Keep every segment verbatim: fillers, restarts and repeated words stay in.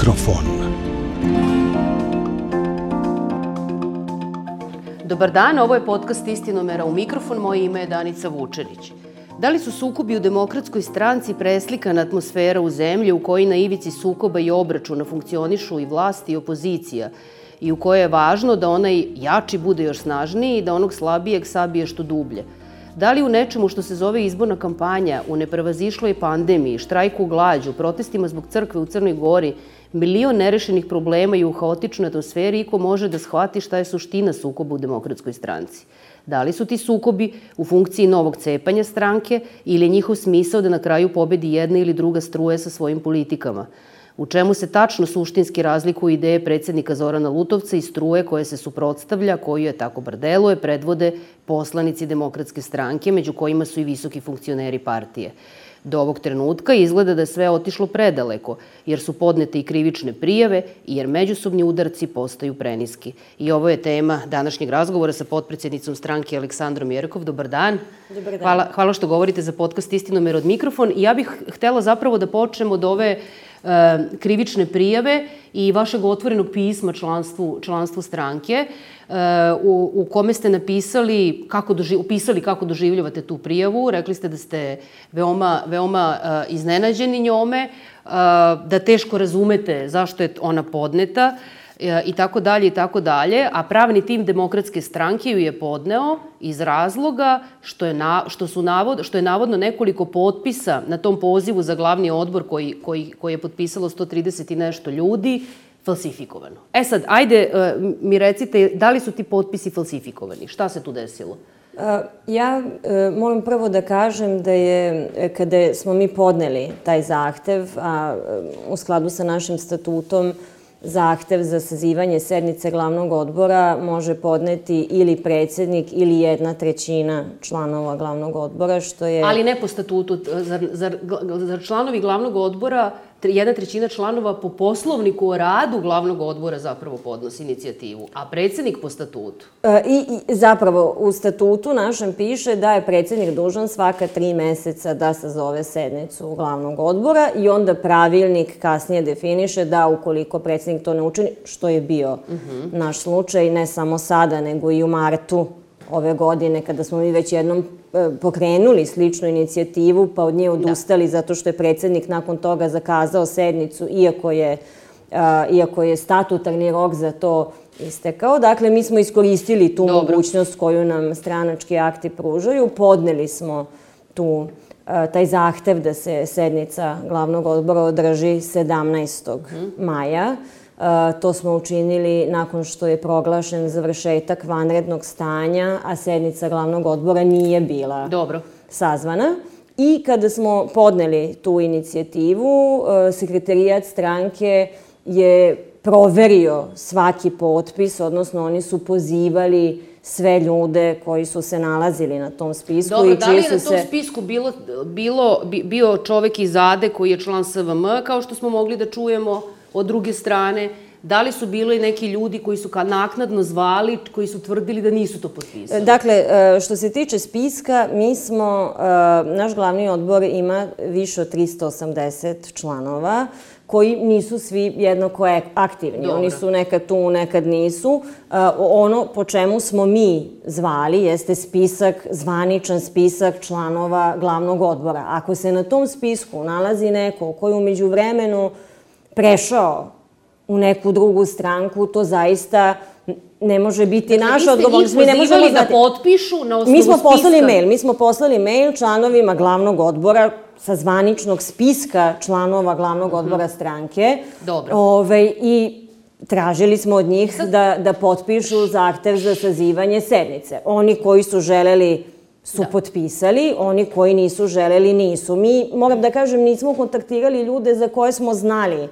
mikrofon. Dobar dan, ovo je podcast Istinomera u mikrofon, moje ime je Danica Vučenić. Da li su sukobi u Demokratskoj stranci preslikana atmosfera u zemlji u kojoj na ivici sukoba i obračuna funkcionišu i vlast i opozicija i u kojoj je važno da onaj jači bude još snažniji i da onog slabijeg sabije što dublje? Da li u nečemu što se zove izborna kampanja, u neprevazišloj pandemiji, štrajku glađu, protestima zbog crkve u Crnoj Gori, milion nerešenih problema i u haotičnoj atmosferi iko može da shvati šta je suština sukoba u Demokratskoj stranci? Da li su ti sukobi u funkciji novog cepanja stranke ili je njihov smisao da na kraju pobedi jedna ili druga struja sa svojim politikama? U čemu se tačno suštinski razlikuju ideje predsjednika Zorana Lutovca i struje koje se suprotstavlja, koju je, tako bar deluje, predvode poslanici Demokratske stranke, među kojima su i visoki funkcioneri partije. Do ovog trenutka izgleda da je sve otišlo predaleko, jer su podnete i krivične prijave i jer međusobni udarci postaju preniski. I ovo je tema današnjeg razgovora sa potpredsjednicom stranke Aleksandrom Jerkov. Dobar dan. Dobar dan. Hvala, hvala što govorite za podcast Istinomer od mikrofon. I ja bih htela zapravo da počnemo od ove e, krivične prijave i vašeg otvorenog pisma članstvu, članstvu stranke, e, u, u kome ste napisali kako, doži, upisali kako doživljavate tu prijavu. Rekli ste da ste veoma, veoma e, iznenađeni njome, e, da teško razumete zašto je ona podneta, i tako dalje i tako dalje, a pravni tim Demokratske stranke ju je podneo iz razloga što je, na, što su navod, što je navodno nekoliko potpisa na tom pozivu za glavni odbor koji, koji, koji je potpisalo sto trideset i nešto ljudi falsifikovano. E sad, ajde mi recite, da li su ti potpisi falsifikovani? Šta se tu desilo? Ja moram prvo da kažem da je, kada smo mi podneli taj zahtev, a u skladu sa našim statutom, zahtev za sazivanje sednice glavnog odbora može podneti ili predsjednik ili jedna trećina članova glavnog odbora, što je... Ali ne po statutu. Zar, zar, zar članovi glavnog odbora, jedna trećina članova po poslovniku o radu glavnog odbora zapravo podnosi inicijativu, a predsjednik po statutu? E, i, I zapravo u statutu našem piše da je predsjednik dužan svaka tri meseca da sazove sednicu glavnog odbora i onda pravilnik kasnije definiše da ukoliko predsjednik to ne učini, što je bio uh-huh. naš slučaj, ne samo sada, nego i u martu ove godine, kada smo mi već jednom pokrenuli sličnu inicijativu, pa od nje odustali da. Zato što je predsjednik nakon toga zakazao sednicu, iako je, a, iako je statutarni rok za to istekao. Dakle, mi smo iskoristili tu Dobro. mogućnost koju nam stranački akti pružaju. Podneli smo tu, a, taj zahtev da se sednica glavnog odbora održi sedamnaestog maja. Uh, to smo učinili nakon što je proglašen završetak vanrednog stanja, a sednica glavnog odbora nije bila Dobro. sazvana. I kada smo podneli tu inicijativu, uh, sekretarijat stranke je proverio svaki potpis, odnosno oni su pozivali sve ljude koji su se nalazili na tom spisku. Dobro, i da li je na tom se... spisku bilo, bilo, bio čovek iz A D E koji je član S V M, kao što smo mogli da čujemo od druge strane? Da li su bili neki ljudi koji su naknadno zvali, koji su tvrdili da nisu to potpisali? Dakle, što se tiče spiska, mi smo, naš glavni odbor ima više od tristo osamdeset članova, koji nisu svi jednako aktivni. Dobro. Oni su nekad tu, nekad nisu. Ono po čemu smo mi zvali jeste spisak, zvaničan spisak članova glavnog odbora. Ako se na tom spisku nalazi neko koji u međuvremenu prešao u neku drugu stranku, to zaista ne može biti dakle, naša odgovornost. Mi ne možemo da potpišu na osnovu mi smo spiska. Poslali mail, mi smo poslali mail članovima glavnog odbora sa zvaničnog spiska članova glavnog odbora uh-huh. stranke. Dobro. Ove, I tražili smo od njih Sad... da, da potpišu zahtev za sazivanje sednice. Oni koji su želeli su da. potpisali, oni koji nisu želeli nisu. Mi, moram da kažem, nismo kontaktirali ljude za koje smo znali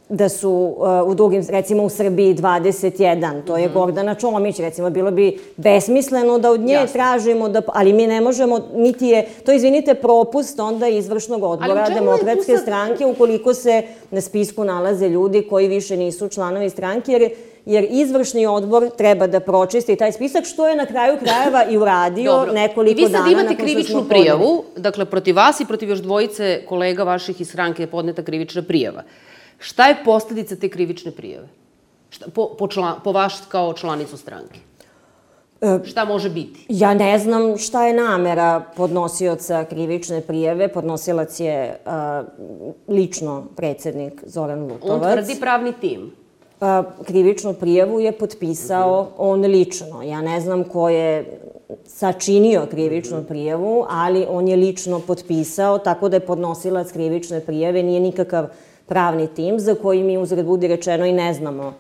da su uh, u drugim, recimo u Srbiji dvadeset jedan, to je mm-hmm. Gordana Čomić, recimo, bilo bi besmisleno da od nje Jasne. tražimo, da, ali mi ne možemo, niti je, to izvinite, propust onda izvršnog odbora Demokratske sad... stranke, ukoliko se na spisku nalaze ljudi koji više nisu članovi stranke, jer jer izvršni odbor treba da pročisti taj spisak, što je na kraju krajeva i uradio Dobro. nekoliko dana nakon što smo podneli. I vi sad imate krivičnu prijavu, dakle, protiv vas i protiv još dvojice kolega vaših iz stranke je podneta krivična prijava. Šta je posledica te krivične prijave? Šta, po, po, član, po vaš kao članicu stranke? Šta može biti? Ja ne znam šta je namera podnosioca krivične prijave. Podnosilac je uh, lično predsednik Zoran Lutovac. On tvrdi pravni tim. Pa, krivičnu prijavu je potpisao on lično. Ja ne znam ko je sačinio krivičnu prijavu, ali on je lično potpisao, tako da je podnosilac krivične prijave, nije nikakav pravni tim za koji mi uzred budi rečeno i ne znamo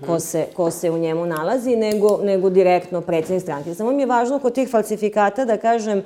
ko se, ko se u njemu nalazi, nego, nego direktno predsednik stranke. Samo mi je važno kod tih falsifikata da kažem,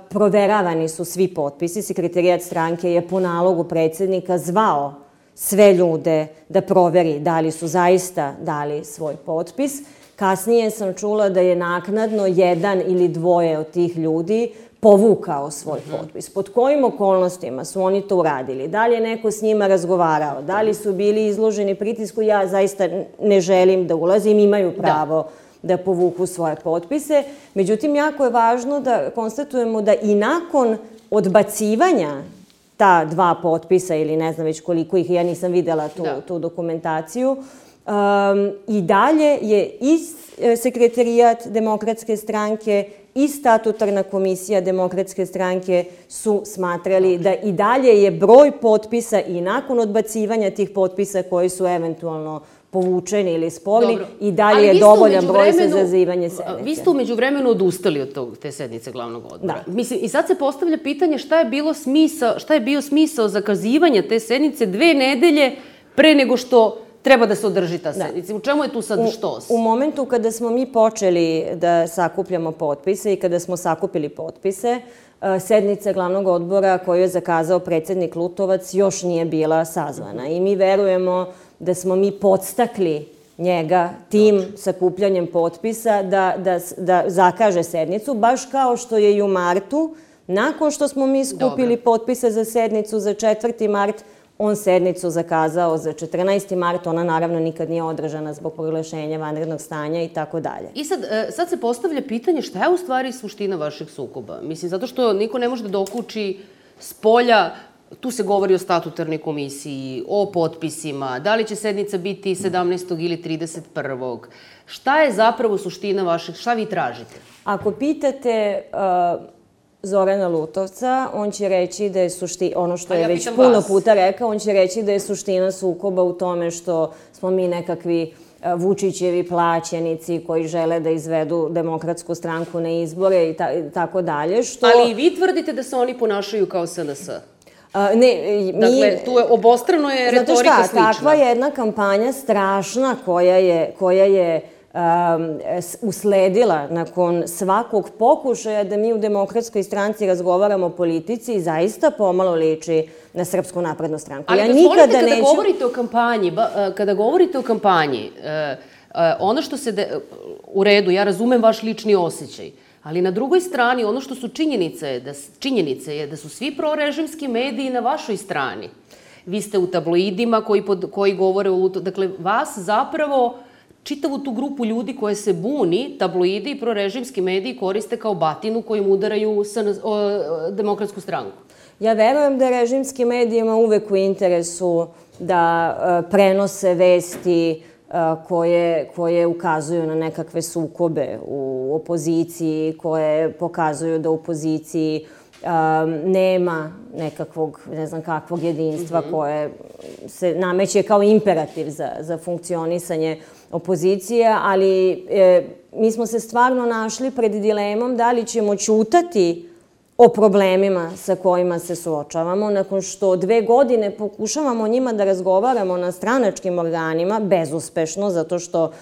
proveravani su svi potpisi. Sekretarijat stranke je po nalogu predsednika zvao sve ljude da proveri da li su zaista dali svoj potpis. Kasnije sam čula da je naknadno jedan ili dvoje od tih ljudi povukao svoj potpis. Pod kojim okolnostima su oni to uradili? Da li je neko s njima razgovarao? Da li su bili izloženi pritisku? Ja zaista ne želim da ulazim, imaju pravo da povuku svoje potpise. Međutim, jako je važno da konstatujemo da i nakon odbacivanja ta dva potpisa ili ne znam već koliko ih, ja nisam videla tu, tu dokumentaciju, um, i dalje je i sekretarijat Demokratske stranke i statutarna komisija Demokratske stranke su smatrali da i dalje je broj potpisa i nakon odbacivanja tih potpisa koji su eventualno povučeni ili sporni, i dalje je dovoljan broj za zazivanje sednice. Vi ste umeđu vremenu odustali od tog, te sednice glavnog odbora. Mislim, i sad se postavlja pitanje šta je bilo smisao, šta je bio smisao zakazivanja te sednice dve nedelje pre nego što treba da se održi ta sednica. U čemu je tu sad štos? U momentu kada smo mi počeli da sakupljamo potpise i kada smo sakupili potpise, sednica glavnog odbora koju je zakazao predsednik Lutovac još nije bila sazvana. I mi verujemo da smo mi podstakli njega tim sakupljanjem potpisa da, da, da zakaže sednicu, baš kao što je i u martu, nakon što smo mi skupili potpise za sednicu za četvrti mart, on sednicu zakazao za četrnaesti mart, ona naravno nikad nije održana zbog proglašenja vanrednog stanja i tako dalje. I sad, sad se postavlja pitanje šta je u stvari suština vašeg sukoba? Mislim, zato što niko ne može da dokuči s polja, tu se govori o statutarnoj komisiji, o potpisima, da li će sednica biti sedamnaestog ili trideset prvog Šta je zapravo suština vašeg, šta vi tražite? Ako pitate Zorana Lutovca, on će reći da je suština, ono što je već puno puta rekao, on će reći da je suština sukoba u tome što smo mi nekakvi Vučićevi plaćenici koji žele da izvedu Demokratsku stranku na izbore i tako dalje. Ali i vi tvrdite da se oni ponašaju kao S N S? Ne, mi... Dakle, tu je obostrano je retorika slična. Znate šta, takva je jedna kampanja strašna koja je, koja je usledila nakon svakog pokušaja da mi u Demokratskoj stranci razgovaramo o politici i zaista pomalo liči na Srpsku naprednu stranku. Ali dozvolite, kada govorite o kampanji, kada govorite o kampanji, ono što se... U redu, ja razumem vaš lični osjećaj, ali na drugoj strani ono što su činjenice je da, činjenice je da su svi prorežimski mediji na vašoj strani. Vi ste u tabloidima koji, pod, koji govore o... Dakle, vas zapravo... Čitavu tu grupu ljudi koje se buni, tabloidi i prorežimski mediji koriste kao batinu kojim udaraju Demokratsku stranku. Ja verujem da režimski medijima uvek u interesu da prenose vesti koje, koje ukazuju na nekakve sukobe u opoziciji, koje pokazuju da u opoziciji nema nekakvog, ne znam kakvog jedinstva koje se nameće kao imperativ za, za funkcionisanje opozicije, ali mi smo se stvarno našli pred dilemom da li ćemo ćutati o problemima sa kojima se suočavamo, nakon što dve godine pokušavamo o njima da razgovaramo na stranačkim organima, bezuspešno, zato što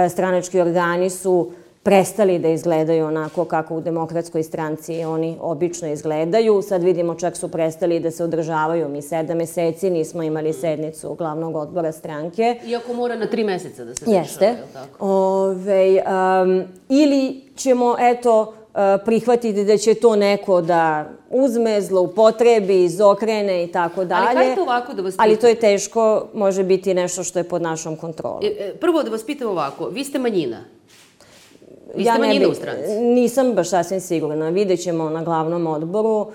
stranački organi su prestali da izgledaju onako kako u Demokratskoj stranci oni obično izgledaju. Sad vidimo čak su prestali da se održavaju. Mi sedam meseci nismo imali sednicu glavnog odbora stranke. Iako mora na tri meseca da se dešava, Jeste. Je li tako? Ove, um, ili ćemo, eto, prihvatiti da će to neko da uzme, zloupotrebi, izokrene i tako dalje. Ali hajde ovako da vas pitam. Ali to je teško, može biti nešto što je pod našom kontrolom. Prvo da vas pitam ovako, vi ste manjina. Vi ste manjina u stranci. Nisam baš sasvim sigurna. Vidjet ćemo na glavnom odboru.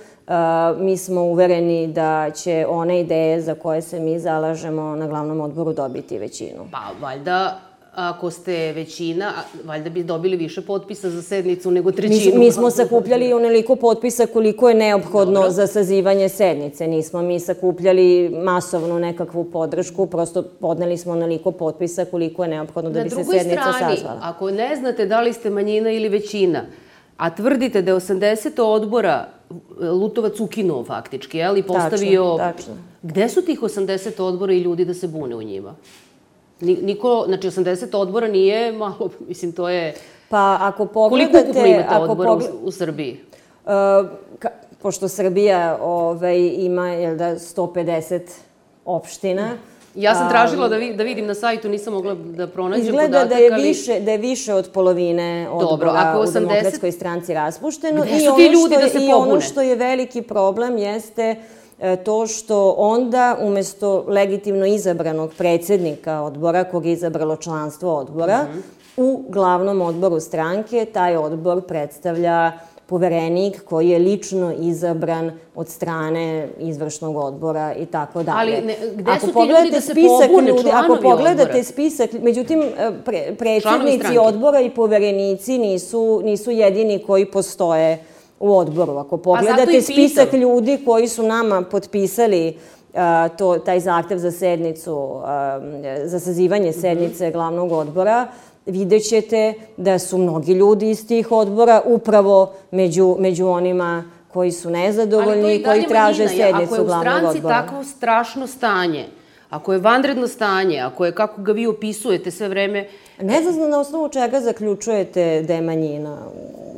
Mi smo uvereni da će one ideje za koje se mi zalažemo na glavnom odboru dobiti većinu. Pa, valjda, ako ste većina, valjda bi dobili više potpisa za sednicu nego trećinu. Mi smo sakupljali onoliko potpisa koliko je neophodno za sazivanje sednice. Nismo mi sakupljali masovnu nekakvu podršku, prosto podneli smo onoliko potpisa koliko je neophodno da bi se sednica sazvala. Na drugoj strani, ako ne znate da li ste manjina ili većina, a tvrdite da je osamdeset odbora Lutovac ukinuo faktički, jel? I postavio... Tačno, tačno. Gde su tih osamdeset odbora i ljudi da se bune u njima? Niko, znači osamdeset odbora nije malo, mislim, to je... Pa ako pogledate... Koliko ukupno imate odbora u Srbiji? Pošto Srbija ima, jel da, sto pedeset opština... Ja sam tražila da vidim na sajtu, nisam mogla da pronađem podatak, ali... Izgleda da je više od polovine odbora u Demokratskoj stranci raspušteno. Gde su ti ljudi da se pobune? I ono što je veliki problem jeste to što onda, umesto legitimno izabranog predsjednika odbora, kog je izabralo članstvo odbora, u glavnom odboru stranke taj odbor predstavlja poverenik koji je lično izabran od strane izvršnog odbora i tako dalje. Ali gde su ti ljudi da se pobune, članovi odbora? Ako pogledate spisak, međutim, predsjednici odbora i poverenici nisu jedini koji postoje u odboru. Ako pogledate spisak ljudi koji su nama potpisali taj zahtev za sednicu, za sazivanje sednice glavnog odbora, vidjet ćete da su mnogi ljudi iz tih odbora upravo među onima koji su nezadovoljni i koji traže sednicu glavnog odbora. Ako je u stranci takvo strašno stanje, ako je vanredno stanje, ako je, kako ga vi opisujete sve vreme... Ne znam na osnovu čega zaključujete da je manjina.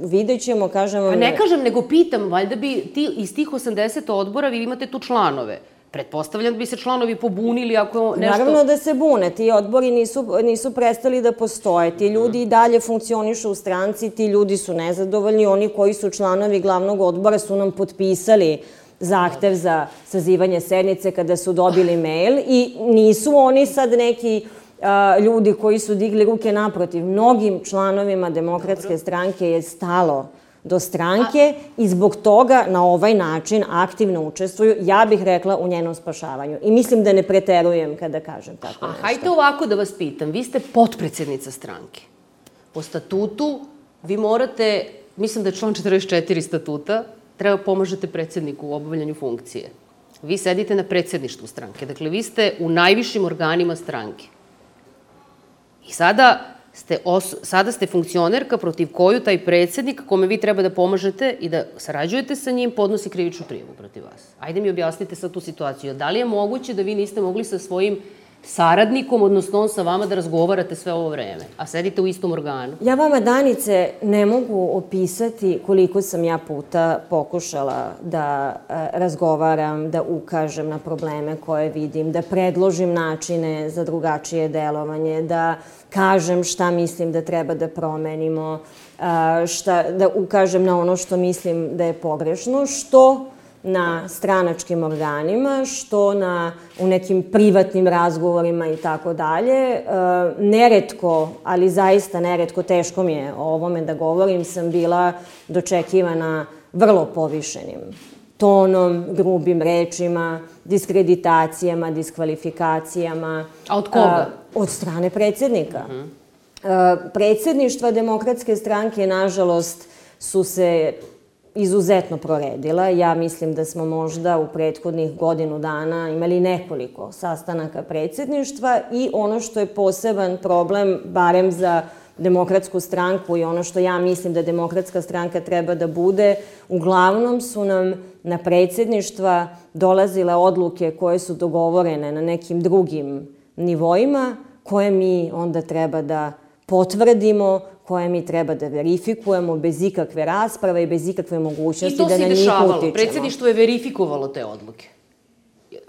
Vidjet ćemo, kažem vam... Ne kažem, nego pitam, valjda bi iz tih osamdeset odbora vi imate tu članove. Pretpostavljam da bi se članovi pobunili ako nešto... Naravno da se bune. Ti odbori nisu prestali da postoje. Ti ljudi i dalje funkcionišu u stranci, ti ljudi su nezadovoljni. Oni koji su članovi glavnog odbora su nam potpisali zahtev za sazivanje sednice kada su dobili mail i nisu oni sad neki ljudi koji su digli ruke naprotiv. Mnogim članovima Demokratske stranke je stalo do stranke i zbog toga na ovaj način aktivno učestvuju, ja bih rekla, u njenom spašavanju. I mislim da ne preterujem kada kažem tako nešto. A hajte ovako da vas pitam. Vi ste potpredsednica stranke. Po statutu vi morate, mislim da je član četrdeset četiri statuta, treba pomažete predsjedniku u obavljanju funkcije. Vi sedite na predsjedništvu stranke. Dakle, vi ste u najvišim organima stranke. I sada... Sada ste funkcionerka protiv koju taj predsjednik, kome vi treba da pomažete i da sarađujete sa njim, podnosi krivičnu prijavu protiv vas. Ajde mi objasnite sad tu situaciju. Da li je moguće da vi niste mogli sa svojim saradnikom, odnosno on sa vama, da razgovarate sve ovo vreme, a sedite u istom organu? Ja vama, Danice, ne mogu opisati koliko sam ja puta pokušala da razgovaram, da ukažem na probleme koje vidim, da predložim načine za drugačije delovanje, da kažem šta mislim da treba da promenimo, da ukažem na ono što mislim da je pogrešno, što na stranačkim organima, što u nekim privatnim razgovorima i tako dalje. Neretko, ali zaista neretko, teško mi je o ovome da govorim, sam bila dočekivana vrlo povišenim tonom, grubim rečima, diskreditacijama, diskvalifikacijama. A od koga? Od strane predsjednika. Predsjedništva Demokratske stranke, nažalost, su se izuzetno proredila. Ja mislim da smo možda u prethodnih godinu dana imali nekoliko sastanaka predsjedništva i ono što je poseban problem, barem za Demokratsku stranku i ono što ja mislim da Demokratska stranka treba da bude, uglavnom su nam na predsjedništva dolazile odluke koje su dogovorene na nekim drugim nivoima, koje mi onda treba da potvrdimo, koje mi treba da verifikujemo bez ikakve rasprave i bez ikakve mogućnosti da na njih utičemo. I to se dešavalo. Predsjedništvo je verifikovalo te odluke.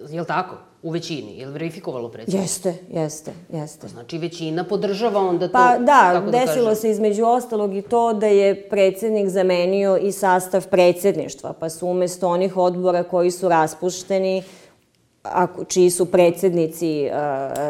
Je li tako? U većini. Je li verifikovalo predsjedništvo? Jeste, jeste, jeste. Znači većina podržava onda to? Pa da, desilo se između ostalog i to da je predsjednik zamenio i sastav predsjedništva, pa su umjesto onih odbora koji su raspušteni čiji su predsednici,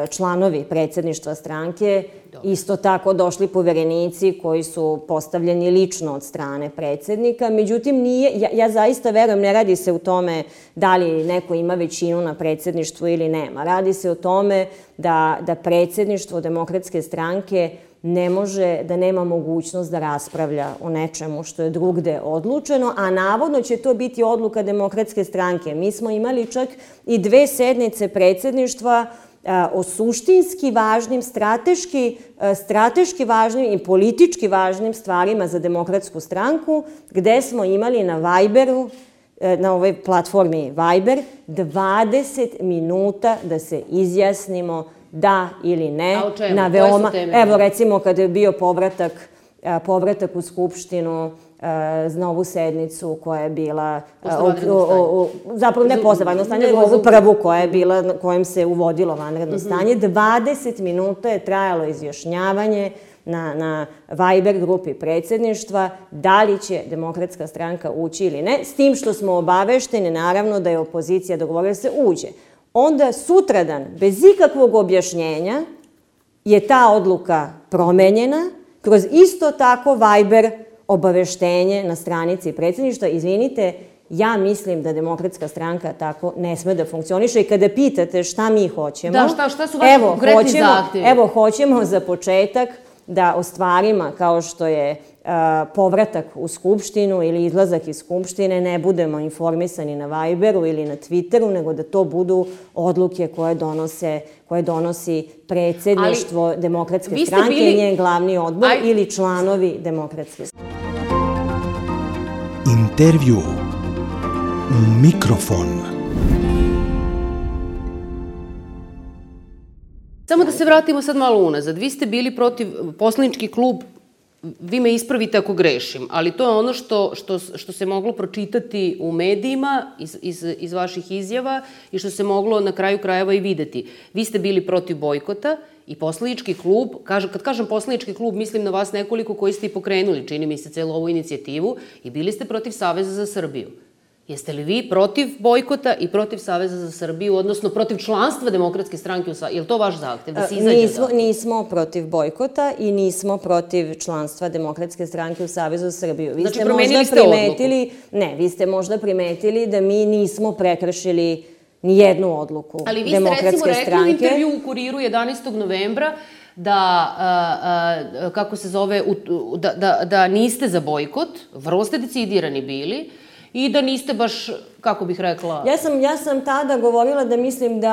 članovi predsedništva stranke, isto tako došli poverenici koji su postavljeni lično od strane predsednika. Međutim, nije, ja, ja zaista verujem, ne radi se u tome da li neko ima većinu na predsedništvu ili nema. Radi se o tome da, da predsedništvo Demokratske stranke ne može, da nema mogućnost da raspravlja o nečemu što je drugde odlučeno, a navodno će to biti odluka Demokratske stranke. Mi smo imali čak i dve sednice predsedništva o suštinski važnim, strateški, strateški važnim i politički važnim stvarima za Demokratsku stranku, gde smo imali na Viberu, na ovoj platformi Viber, dvadeset minuta da se izjasnimo da ili ne. A o čemu? Na veoma, evo recimo kada je bio povratak, povratak u Skupštinu na ovu sednicu koja je bila, zapravo ne posle vanrednog stanja, nego ovu prvu koja je bila, na kojem se uvodilo vanredno stanje. dvadeset minuta je trajalo izjašnjavanje na, na Viber grupi predsedništva da li će Demokratska stranka ući ili ne, s tim što smo obavešteni naravno da je opozicija dogovorila da se uđe. Onda sutradan, bez ikakvog objašnjenja, je ta odluka promenjena kroz isto tako Viber obaveštenje na stranici predsedništva. Izvinite, ja mislim da Demokratska stranka tako ne sme da funkcioniše i kada pitate šta mi hoćemo... Da, šta, šta su vaši konkretni zahtjevi? Evo, hoćemo za početak da o stvarima kao što je povratak u Skupštinu ili izlazak iz Skupštine ne budemo informisani na Viberu ili na Twitteru, nego da to budu odluke koje donose, koje donosi predsedništvo Demokratske stranke i njen glavni odbor ili članovi Demokratske stranke. Intervju u mikrofon. Samo da se vratimo sad malo unazad. Vi ste bili protiv, poslanički klub, vi me ispravite ako grešim, ali to je ono što, što, što se moglo pročitati u medijima iz, iz, iz vaših izjava i što se moglo na kraju krajeva i videti. Vi ste bili protiv bojkota i poslanički klub, kaže, kad kažem poslanički klub, mislim na vas nekoliko koji ste i pokrenuli, čini mi se, celu ovu inicijativu, i bili ste protiv Saveza za Srbiju. Jeste li vi protiv bojkota i protiv Saveza za Srbiju, odnosno protiv članstva Demokratske stranke u Savezu? Je li to vaš zahtev, da se izađe? Nismo, nismo protiv bojkota i nismo protiv članstva Demokratske stranke u Savezu za Srbiju. Vi znači, ste promenili ste primetili, odluku? Ne, vi ste možda primetili da mi nismo prekršili ni jednu odluku Demokratske stranke. Ali vi ste recimo rekli u intervju u Kuriru jedanaestog novembra da, a, a, kako se zove, da, da, da niste za bojkot, vrlo ste decidirani bili, i da niste baš, kako bih rekla... Ja sam, ja sam tada govorila da mislim da,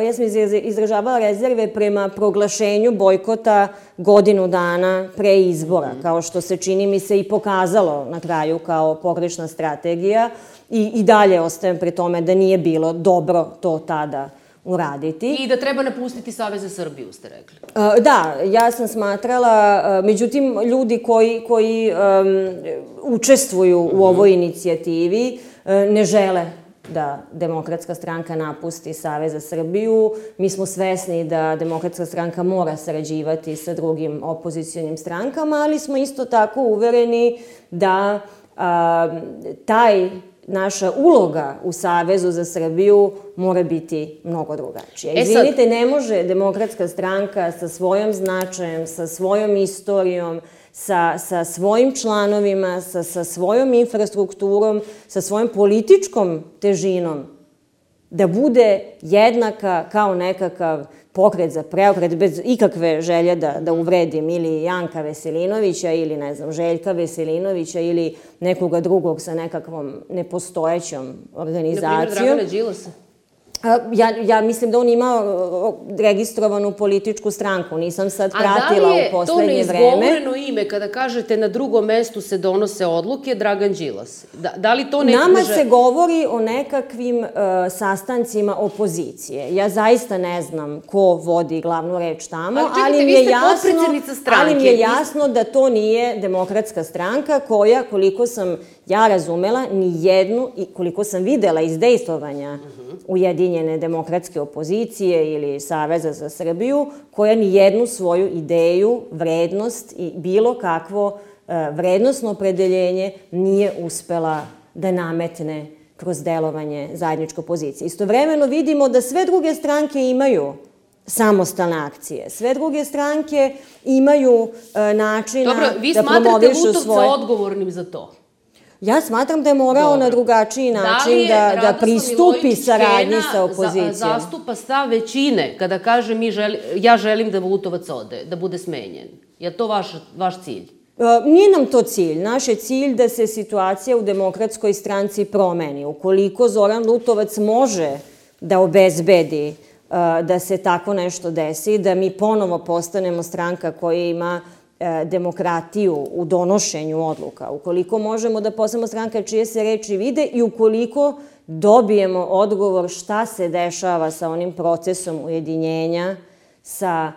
ja sam izražavala rezerve prema proglašenju bojkota godinu dana pre izbora, kao što se čini mi se i pokazalo na kraju kao pogrešna strategija i, i dalje ostajem pri tome da nije bilo dobro to tada uraditi. I da treba napustiti Savez za Srbiju, ste rekli. Da, ja sam smatrala, međutim, ljudi koji, koji um, učestvuju u ovoj inicijativi ne žele da Demokratska stranka napusti Savez za Srbiju. Mi smo svesni da Demokratska stranka mora sarađivati sa drugim opozicionim strankama, ali smo isto tako uvereni da a, taj naša uloga u Savezu za Srbiju mora biti mnogo drugačija. Izvinite, ne može Demokratska stranka sa svojom značajem, sa svojom istorijom, sa, sa svojim članovima, sa, sa svojom infrastrukturom, sa svojom političkom težinom da bude jednaka kao nekakav pokret za preokret, bez ikakve želje da, da uvredim ili Janka Veselinovića ili, ne znam, Željka Veselinovića ili nekoga drugog sa nekakvom nepostojećom organizacijom. Na primjer, Dragana Đilasa? Ja, ja mislim da on ima registrovanu političku stranku, nisam sad pratila u poslednje vreme. A da li je to neizgovoreno ime kada kažete na drugom mestu se donose odluke Dragan Đilas? Da, da li to ne... Nama se govori o nekakvim uh, sastancima opozicije. Ja zaista ne znam ko vodi glavnu reč tamo, ali, čekajte, ali, mi je jasno, ali mi je jasno da to nije Demokratska stranka koja, koliko sam ja razumela, ni jednu, i koliko sam videla izdejstvovanja uh-huh. Ujedinjene demokratske opozicije ili Saveza za Srbiju, koja ni jednu svoju ideju, vrednost i bilo kakvo uh, vrednostno opredeljenje nije uspela da nametne kroz delovanje zajedničke opozicije. Istovremeno vidimo da sve druge stranke imaju samostalne akcije. Sve druge stranke imaju e, načina Dobro, vi da smatrate promovišu Lutovca svoje... odgovornim za to? Ja smatram da je morao Dobro. na drugačiji način da, da, da pristupi saradnji sa opozicijom. Za, zastupa stav većine kada kaže mi želi, ja želim da Lutovac ode, da bude smenjen. Je to vaš, vaš cilj? Nije nam to cilj. Naš je cilj da se situacija u Demokratskoj stranci promeni. Ukoliko Zoran Lutovac može da obezbedi da se tako nešto desi, da mi ponovo postanemo stranka koja ima demokratiju u donošenju odluka, ukoliko možemo da postanemo stranka čije se reči vide i ukoliko dobijemo odgovor šta se dešava sa onim procesom ujedinjenja, sa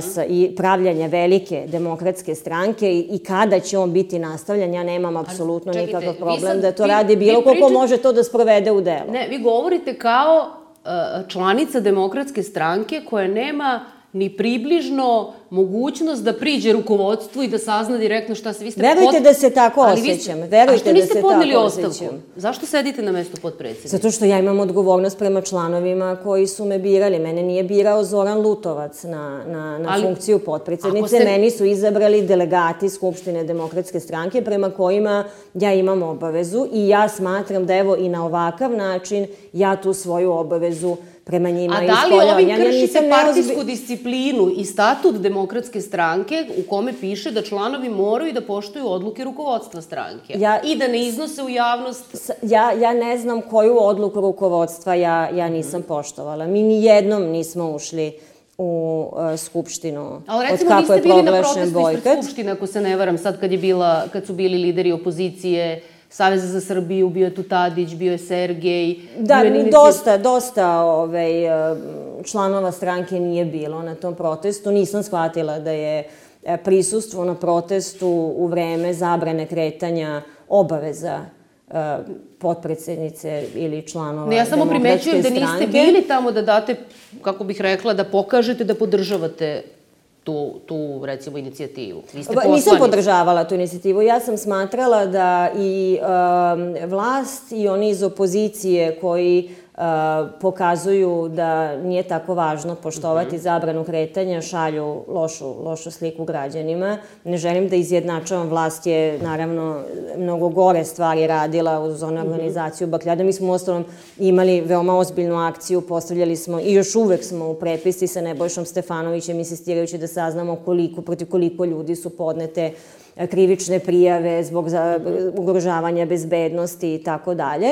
sa i pravljanja velike demokratske stranke i, i kada će on biti nastavljan, ja nemam apsolutno nikakav problem sad, da to vi, radi bilo ko ko može to da sprovede u delo. Ne, vi govorite kao uh, članica demokratske stranke koja nema ni približno mogućnost da priđe rukovodstvu i da sazna direktno šta se... Vi ste Verujte pot... da se tako osjećam. Verujte A što niste da se podneli tako ostavku? osjećam. Zašto sedite na mestu potpredsjednika? Zato što ja imam odgovornost prema članovima koji su me birali. Mene nije birao Zoran Lutovac na, na, na Ali, funkciju potpredsjednice. Ste... Meni su izabrali delegati Skupštine Demokratske stranke prema kojima ja imam obavezu i ja smatram da evo i na ovakav način ja tu svoju obavezu prema njima ispoljavanja. A da li ovim kršite partijsku disciplinu i statut Demokratske stranke u kome piše da članovi moraju da poštuju odluke rukovodstva stranke ja, i da ne iznose u javnost? Ja, ja ne znam koju odluku rukovodstva ja, ja nisam poštovala. Mi ni jednom nismo ušli u uh, Skupštinu. Ali recimo od kako niste bili na protestu ispred Skupštine, ako se ne varam, sad kad, je bila, kad su bili lideri opozicije, Saveza za Srbiju, bio je tu Tadić, bio je Sergej. Da, bio je dosta, dosta ovaj, članova stranke nije bilo na tom protestu. Nisam shvatila da je prisustvo na protestu u vreme zabrane kretanja obaveza potpredsjednice ili članova ne, ja samo Demokratske primećujem da stranke. niste bili tamo da date, kako bih rekla, da pokažete da podržavate tu, tu recimo, inicijativu. Vi ste poslanici. Nisam podržavala tu inicijativu. Ja sam smatrala da i um, vlast i oni iz opozicije koji uh, pokazuju da nije tako važno poštovati mm-hmm. zabranu kretanja, šalju lošu, lošu sliku građanima. Ne želim da izjednačavam, vlast je naravno mnogo gore stvari radila uz onu organizaciju Bakljada. Mi smo u ostalom imali veoma ozbiljnu akciju, postavljali smo i još uvek smo u prepisci sa Nebojšom Stefanovićem insistirajući da saznamo koliko, protiv koliko ljudi su podnete krivične prijave zbog za, ugrožavanja bezbednosti i tako dalje.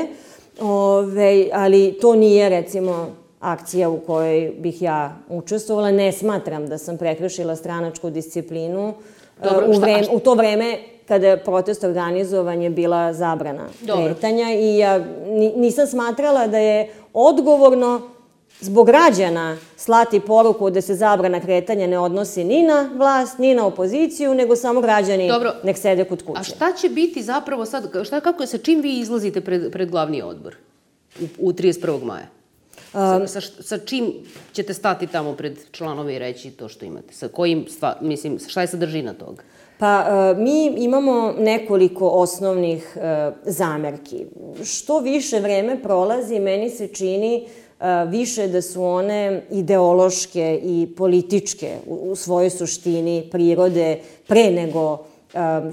Ove, ali to nije, recimo, akcija u kojoj bih ja učestvovala. Ne smatram da sam prekršila stranačku disciplinu. Dobro, u, vreme, u to vreme kada je protest organizovan je bila zabrana kretanja i ja nisam smatrala da je odgovorno zbog građana slati poruku da se zabrana kretanja ne odnosi ni na vlast, ni na opoziciju, nego samo građani Dobro. nek sede kod kuće. A šta će biti zapravo sad, šta, kako, sa čim vi izlazite pred, pred glavni odbor u, u trideset prvog maja? Sa, sa, sa čim ćete stati tamo pred članove i reći to što imate? Sa kojim, stva, mislim, šta je sadržina toga? Pa, mi imamo nekoliko osnovnih zamerki. Što više vreme prolazi, meni se čini više da su one ideološke i političke u svojoj suštini prirode pre nego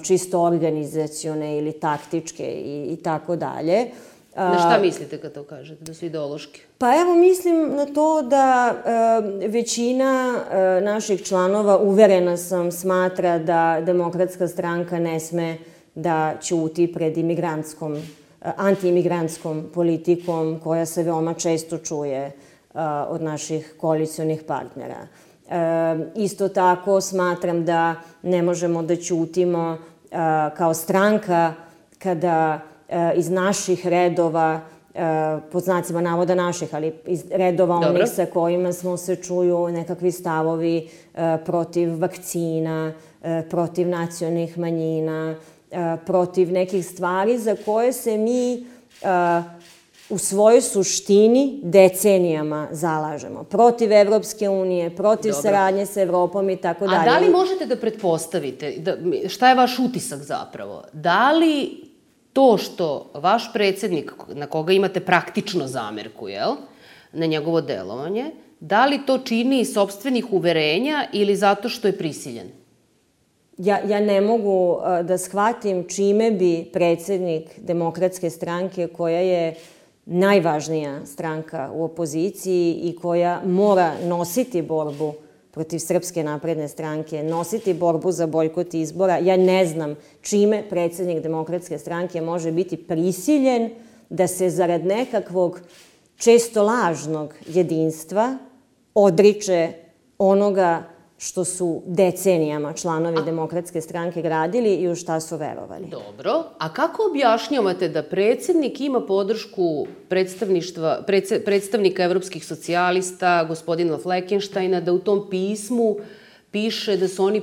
čisto organizacione ili taktičke i tako dalje. Na šta mislite kad to kažete, da su ideološke? Pa evo, mislim na to da većina naših članova, uverena sam, smatra da Demokratska stranka ne sme da ćuti pred imigrantskom antiimigrantskom politikom koja se veoma često čuje od naših koalicionih partnera. Isto tako smatram da ne možemo da ćutimo kao stranka kada iz naših redova, pod znacima navoda naših, ali iz redova Dobro. onih sa kojima smo se čuju nekakvi stavovi protiv vakcina, protiv nacionalnih manjina, protiv nekih stvari za koje se mi uh, u svojoj suštini decenijama zalažemo. Protiv Evropske unije, protiv Dobro. saradnje sa Evropom i tako dalje. A da li možete da pretpostavite, da, šta je vaš utisak zapravo? Da li to što vaš predsednik, na koga imate praktično zamerku, jel, na njegovo delovanje, da li to čini iz sopstvenih uverenja ili zato što je prisiljen? Ja, ja ne mogu uh, da shvatim čime bi predsednik Demokratske stranke, koja je najvažnija stranka u opoziciji i koja mora nositi borbu protiv Srpske napredne stranke, nositi borbu za bojkot izbora, ja ne znam čime predsednik Demokratske stranke može biti prisiljen da se zarad nekakvog često lažnog jedinstva odriče onoga što su decenijama članovi Demokratske stranke gradili i u šta su verovali. Dobro. A kako objašnjavate da predsednik ima podršku predstavništva, predstavnika evropskih socijalista, gospodina Fleckensteina, da u tom pismu piše da su oni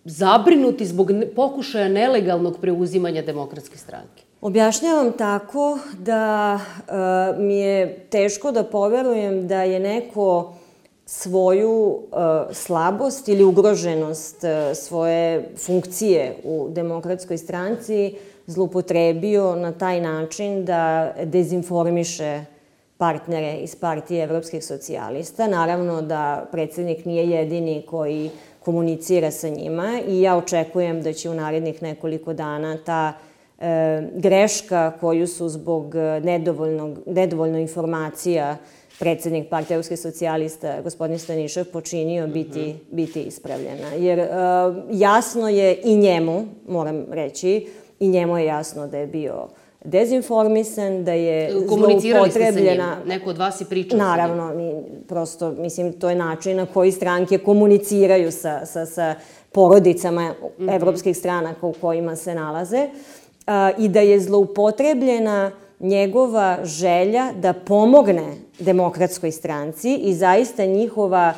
zabrinuti zbog pokušaja nelegalnog preuzimanja Demokratske stranke? Objašnjavam tako da uh, mi je teško da poverujem da je neko svoju uh, slabost ili ugroženost uh, svoje funkcije u Demokratskoj stranci zloupotrebio na taj način da dezinformiše partnere iz Partije evropskih socijalista. Naravno da predsednik nije jedini koji komunicira sa njima i ja očekujem da će u narednih nekoliko dana ta e, greška koju su zbog nedovoljno informacija predsednik Partije evropskih socijalista, gospodin Stanišev, počinio biti, biti ispravljena. Jer e, jasno je i njemu, moram reći, i njemu je jasno da je bio dezinformisan, da je komunicirali ste sa njim? Neko od vas je pričao sa njim? Naravno, mi, prosto, mislim, to je način na koji stranke komuniciraju sa, sa, sa porodicama mm -hmm. evropskih stranaka u kojima se nalaze a, i da je zloupotrebljena njegova želja da pomogne Demokratskoj stranci i zaista njihova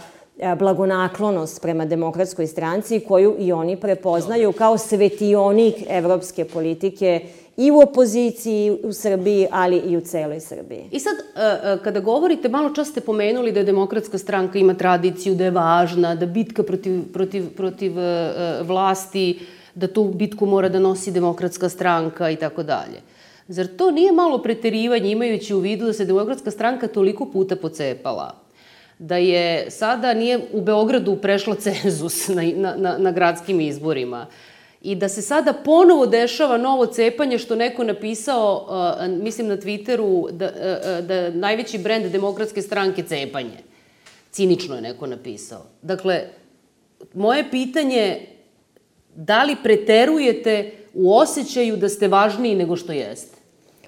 blagonaklonost prema Demokratskoj stranci koju i oni prepoznaju kao svetionik evropske politike i u opoziciji u Srbiji, ali i u celoj Srbiji. I sad, kada govorite, malo čas ste pomenuli da Demokratska stranka ima tradiciju, da je važna, da bitka protiv, protiv, protiv vlasti, da tu bitku mora da nosi Demokratska stranka i tako dalje. Zar to nije malo preterivanje, imajući u vidu da se Demokratska stranka toliko puta pocepala, da je sada nije u Beogradu prešla cenzus na, na, na gradskim izborima i da se sada ponovo dešava novo cepanje, što neko napisao, uh, mislim na Twitteru, da, uh, da najveći brend Demokratske stranke cepanje. Cinično je neko napisao. Dakle, moje pitanje, da li preterujete u osjećaju da ste važniji nego što jeste?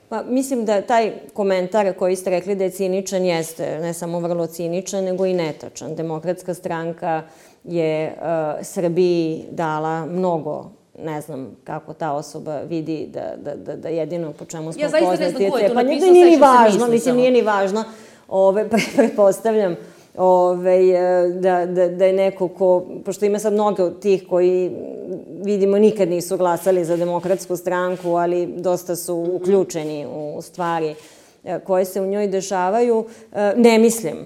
Pa, mislim da taj komentar koji ste rekli da je ciničan jeste ne samo vrlo ciničan, nego i netačan. Demokratska stranka je uh, Srbiji dala mnogo, ne znam kako ta osoba vidi da, da, da, da jedino po čemu smo poznati. Ja zaista ne znam ko je to napisao, nije ni važno, mislim, nije ni važno. Ove, pretpostavljam Ove, da, da, da je neko ko, pošto ima sad mnogo tih koji, vidimo, nikad nisu glasali za Demokratsku stranku, ali dosta su uključeni u stvari koje se u njoj dešavaju. Ne mislim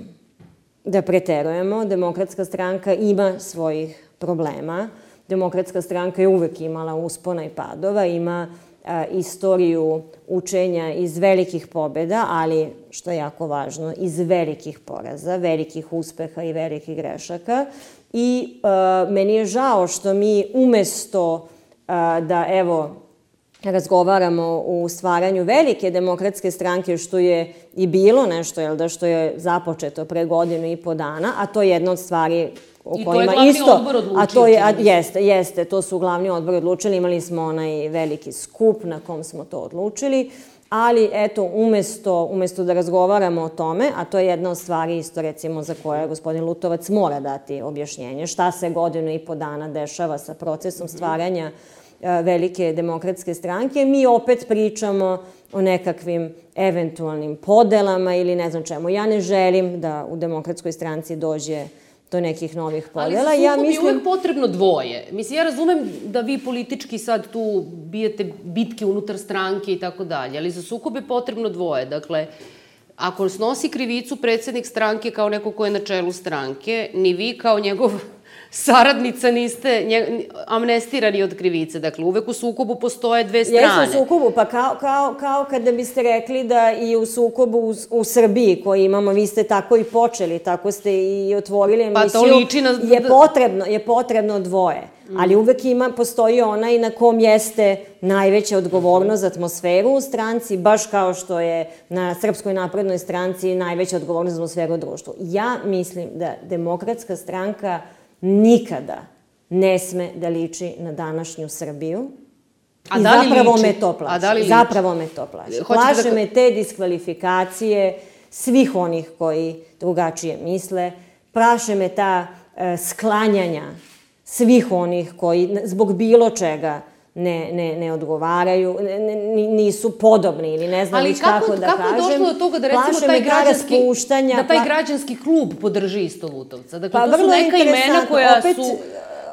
da preterujemo. Demokratska stranka ima svojih problema. Demokratska stranka je uvek imala uspona i padova, ima a, istoriju učenja iz velikih pobjeda, ali, što je jako važno, iz velikih poraza, velikih uspeha i velikih grešaka. I a, meni je žao što mi umesto a, da, evo, razgovaramo u stvaranju velike Demokratske stranke, što je i bilo nešto, jel da, što je započeto pre godinu i po dana, a to je jedna od stvari o kojima isto... I to je glavni odbor odlučio. A to je, a, jeste, jeste, to su glavni odbor odlučili, imali smo onaj veliki skup na kom smo to odlučili, ali eto, umesto, umesto da razgovaramo o tome, a to je jedna od stvari isto, recimo, za koje gospodin Lutovac mora dati objašnjenje, šta se godinu i po dana dešava sa procesom stvaranja velike Demokratske stranke, mi opet pričamo o nekakvim eventualnim podelama ili ne znam čemu. Ja ne želim da u Demokratskoj stranci dođe do nekih novih podela. Ali za ja sukob mislim... je uvek potrebno dvoje. Mislim, ja razumem da vi politički sad tu bijete bitke unutar stranke i tako dalje, ali za sukob je potrebno dvoje. Dakle, ako snosi krivicu predsednik stranke kao neko ko je na čelu stranke, ni vi kao njegov saradnica niste amnestirani od krivice. Dakle, uvek u sukobu postoje dve strane. Jesu u sukobu, pa kao, kao, kao kada biste rekli da i u sukobu u, u Srbiji koji imamo, vi ste tako i počeli, tako ste i otvorili emisiju, pa to liči na... je, potrebno, je potrebno dvoje. Mm. Ali uvek ima, postoji onaj na kom jeste najveća odgovornost za atmosferu u stranci, baš kao što je na Srpskoj naprednoj stranci najveća odgovornost za atmosferu u društvu. Ja mislim da Demokratska stranka nikada ne sme da liči na današnju Srbiju. A I da li zapravo liči? me to plaši. A da li liči? Zapravo me to plaši. Plaše da... me te diskvalifikacije svih onih koji drugačije misle. Plaše me ta e, sklanjanja svih onih koji zbog bilo čega ne, ne, ne odgovaraju, ne, ne, nisu podobni ili ne znam već kako, kako da kako kažem. Ali kako je došlo do toga da recimo taj građanski, da taj pla... građanski klub podrži isto Lutovca? Dakle, pa, to su neka imena koja opet, su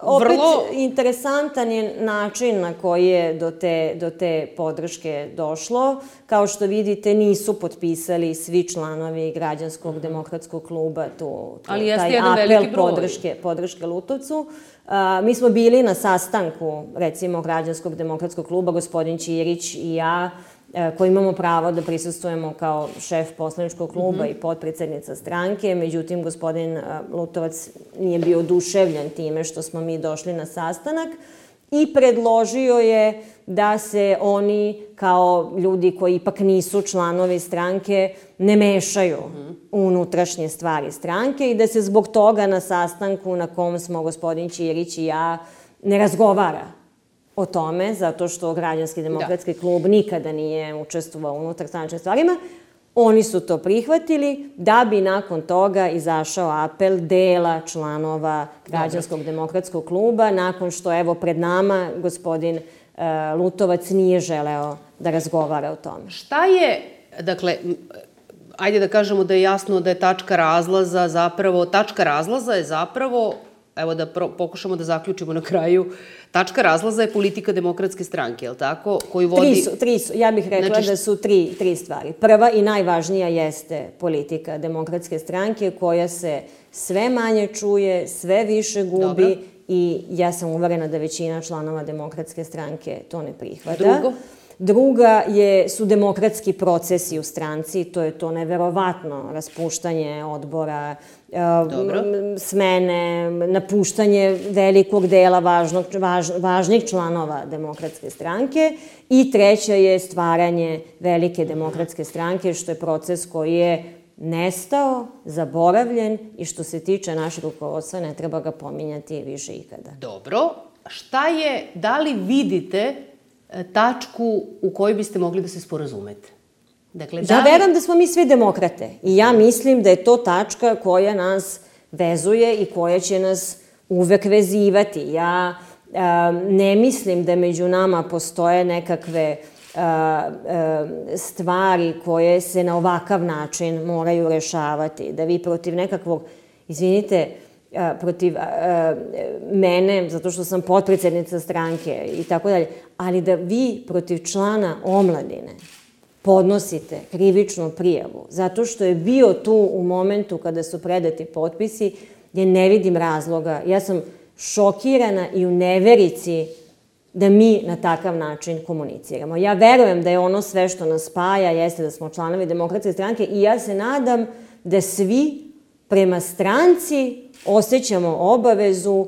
opet vrlo... interesantan je način na koji je do te, do te podrške došlo. Kao što vidite, nisu potpisali svi članovi Građanskog demokratskog kluba tu, tu ali jeste taj jedan apel veliki broj. podrške, podrške Lutovcu. A, mi smo bili na sastanku, recimo, Građanskog demokratskog kluba, gospodin Ćirić i ja, koji imamo pravo da prisustvujemo kao šef poslaničkog kluba mm-hmm. i potpredsednica stranke. Međutim, gospodin Lutovac nije bio oduševljen time što smo mi došli na sastanak i predložio je da se oni, kao ljudi koji ipak nisu članovi stranke, ne mešaju mm-hmm. u unutrašnje stvari stranke i da se zbog toga na sastanku na kom smo gospodin Ćirić i ja ne razgovara o tome, zato što Građanski demokratski da. klub nikada nije učestvovao u unutarstranačkim stvarima. Oni su to prihvatili da bi nakon toga izašao apel dela članova Građanskog Dobre. demokratskog kluba, nakon što, evo, pred nama gospodin uh, Lutovac nije želeo da razgovara o tome. Šta je, dakle, ajde da kažemo da je jasno da je tačka razlaza zapravo, tačka razlaza je zapravo, evo da pro, pokušamo da zaključimo na kraju, tačka razlaza je politika Demokratske stranke, je li tako? Koju vodi... Tri su, tri su. Ja bih rekla znači... da su tri, tri stvari. Prva i najvažnija jeste politika Demokratske stranke koja se sve manje čuje, sve više gubi. Dobro. I ja sam uverena da većina članova Demokratske stranke to ne prihvata. Drugo? Druga je, su demokratski procesi u stranci, to je to neverovatno raspuštanje odbora, Dobro. smene, napuštanje velikog dela važnog, važ, važnih članova Demokratske stranke. I treća je stvaranje velike Demokratske stranke, što je proces koji je nestao, zaboravljen i što se tiče našeg rukovodstva ne treba ga pominjati više ikada. Dobro. Šta je, da li vidite tačku u kojoj biste mogli da se sporazumete? Dakle, da ja li... verujem da smo mi svi demokrate i ja mislim da je to tačka koja nas vezuje i koja će nas uvek vezivati. Ja a, ne mislim da među nama postoje nekakve a, a, stvari koje se na ovakav način moraju rešavati. Da vi protiv nekakvog, izvinite, protiv a, mene, zato što sam potpredsednica stranke i tako dalje, ali da vi protiv člana omladine podnosite krivičnu prijavu, zato što je bio tu u momentu kada su predati potpisi, ja ne vidim razloga. Ja sam šokirana i u neverici da mi na takav način komuniciramo. Ja verujem da je ono sve što nas spaja, jeste da smo članovi Demokratske stranke i ja se nadam da svi prema stranci osjećamo obavezu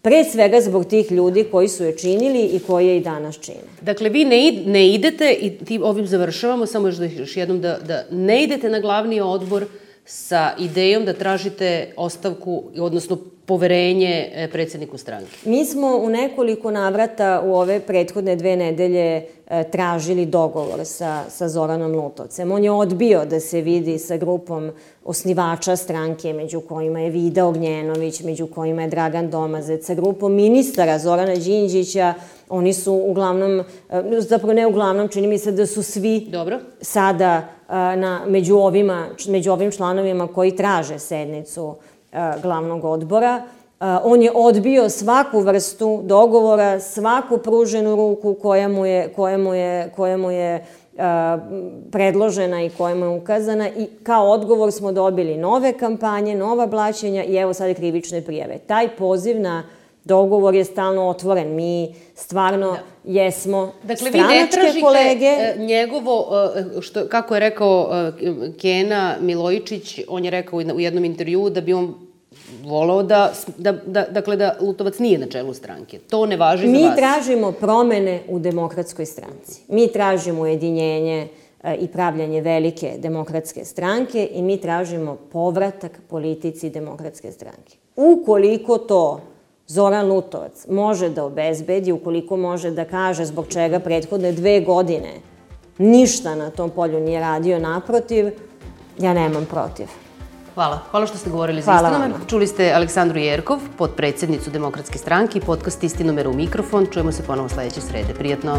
pre svega zbog tih ljudi koji su je činili i koji je i danas čine. Dakle, vi ne, ne idete, i ti ovim završavamo, samo još, da, još jednom da, da ne idete na glavni odbor sa idejom da tražite ostavku, odnosno poverenje predsedniku stranke. Mi smo u nekoliko navrata u ove prethodne dve nedelje tražili dogovor sa, sa Zoranom Lutovcem. On je odbio da se vidi sa grupom osnivača stranke, među kojima je Vida Ognjenović, među kojima je Dragan Domazec, sa grupom ministara Zorana Đinđića. Oni su uglavnom, zapravo ne uglavnom, čini mi se da su svi Dobro. sada na, među, ovima, među ovim članovima koji traže sednicu glavnog odbora. On je odbio svaku vrstu dogovora, svaku pruženu ruku koja mu je, koja mu je, koja mu je predložena i koja mu je ukazana i kao odgovor smo dobili nove kampanje, nova blaćenja i evo sad krivične prijave. Taj poziv na dogovor je stalno otvoren. Mi stvarno jesmo stranačke kolege. Dakle, vi ne tražite njegovo, što, kako je rekao Kena Milojičić, on je rekao u jednom intervjuu da bi on volao da, da, da, dakle, da Lutovac nije na čelu stranke. To ne važi za vas. Mi tražimo promene u Demokratskoj stranci. Mi tražimo ujedinjenje i pravljanje velike demokratske stranke i mi tražimo povratak politici Demokratske stranke. Ukoliko to Zoran Lutovac može da obezbedi, ukoliko može da kaže zbog čega prethodne dve godine ništa na tom polju nije radio, naprotiv, ja nemam protiv. Hvala. Hvala što ste govorili za Istinome. Čuli ste Aleksandru Jerkov, potpredsednicu Demokratske stranke i podcast Istinome u mikrofon. Čujemo se ponovo sledeće srede. Prijatno.